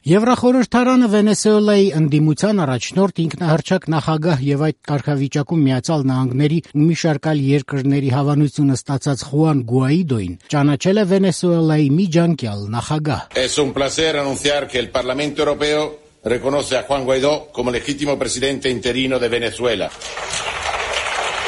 Եվրախորհրդարանը Վենեսուելայի ընդդիմության առաջնորդ ինքնահռչակ նախագահ եւ այդ կարգավիճակում Միացյալ Նահանգների ու մի շարք այլ երկրների հավանությունը ստացած Խուան Գուայդոին ճանաչել է Վենեսուելայի միջանկյալ նախագահ։ Es un placer anunciar que el Parlamento Europeo reconoce a Juan Guaidó como legítimo presidente interino de Venezuela.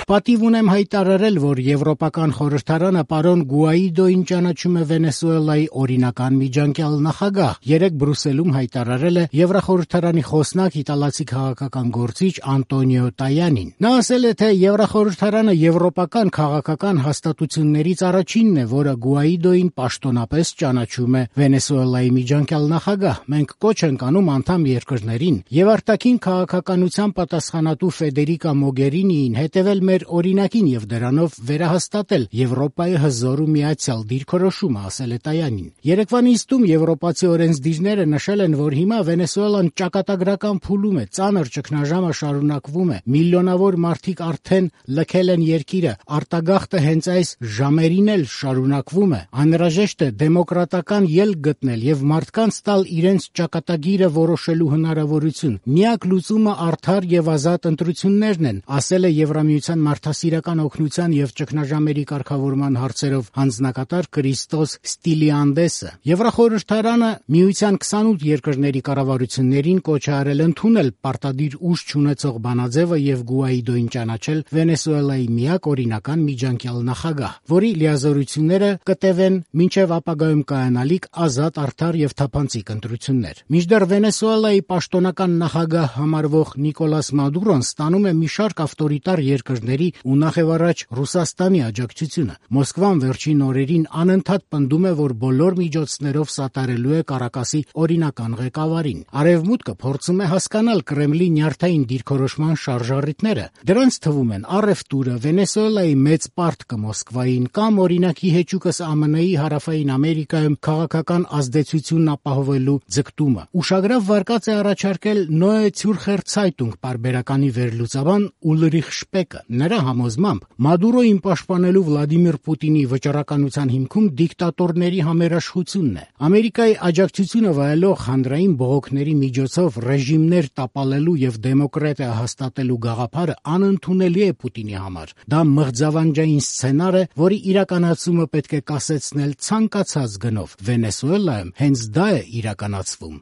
Պատիվ ունեմ հայտարարել, որ Եվրոպական խորհրդարանը պարոն Գուայդոին ճանաչում է Վենեսուելայի օրինական միջանկյալ նախագահ։ Երեկ Բրուսելում հայտարարել է Եվրախորհրդարանի խոսնակ իտալացի քաղաքական գործիչ Անտոնիո Տայանին։ Նա ասել է, թե Եվրախորհրդարանը եվրոպական քաղաքական հաստատություններից առաջինն է, որը Գուայդոին պաշտոնապես ճանաչում է Վենեսուելայի միջանկյալ նախագահ։ Մենք կոչ ենք անում անդամ երկրներին եւ արտաքին քաղաքականության պատասխանատու Ֆեդերիկա Մոգերինիին հետևել մեր օրինակին եւ դրանով վերահաստատել Եվրոպայի հզոր ու միացյալ դիրքորոշումը, ասել է Տայանին։ Երեկվա նիստում եվրոպացի օրենսդիրները նշել են, որ հիմա Վենեսուելան ճակատագրական փուլում է, ծանր ճգնաժամը շարունակվում է, միլիոնավոր մարդիկ արդեն լքել են երկիրը, արտագաղթը հենց այս ժամերին էլ շարունակվում է։ Անհրաժեշտ է դեմոկրատական ելք գտնել եւ մարդկանց տալ իրենց ճակատագիրը որոշելու հնարավորություն։ Միակ լուծումը արդար եւ ազատ ընտրություններն են, ասել է Եվրամիության մարդասիրական օգնության եւ ճգնաժամերի կարգավորման հարցերով հանձնակատար Կրիստոս Ստիլիանդեսը։ Եվրախորհրդարանը միության 28 երկրների կառավարություններին կոչ է արել ընդունել պարտադիր ուժ չունեցող բանաձևը եւ Գուայդոին ճանաչել Վենեսուելայի միակ օրինական միջանկյալ նախագահ, որի լիազորությունները կտևեն մինչեւ ապագայում կայանալիք ազատ, արդար եւ թափանցիկ ընտրություններ։ Մինչդեռ Վենեսուելայի պաշտոնական նախագահ համարվող Նիկոլաս Մադուրոն ստանում է մի շարք ավտորիտար երկրների ու նախևառաջ Ռուսաստանի աջակցությունը։ Մոսկվան վերջին օրերին անընդհատ պնդում է, որ բոլոր միջոցներով սատարելու է Կարակասի օրինական ղեկավարին։ Արևմուտքը փորձում է հասկանալ Կրեմլի նյարդային դիրքորոշման շարժառիթները։ Դրանց թվում են առևտուրը, Վենեսուելայի մեծ պարտքը Մոսկվային կամ օրինակի հեճուկս ԱՄՆ-ի Հարավային Ամերիկայում քաղաքական ազդեցությունն ապահովելու ձգտումը։ Ուշագրավ վարկած է առաջարկել Նոե Ցյուրխեր Ցայտունգ պարբերականի վերլուծաբան Ուլրիխ Շպեկը։ Նրա համոզմամբ Մադուրոին պաշտպանելու Վլադիմիր Պուտինի վճռականության հիմքում դիկտատորների համերաշխությունն է։ Ամերիկայի աջակցությունը վայելող հանրային բողոքների միջոցով ռեժիմներ տապալելու եւ դեմոկրատիա հաստատելու գաղափարը անընդունելի է Պուտինի համար։ Դա մղձավանջային սցենար է, որի իրականացումը պետք է կասեցնել ցանկացած գնով։ Վենեսուելայում հենց դա է իրականացվում։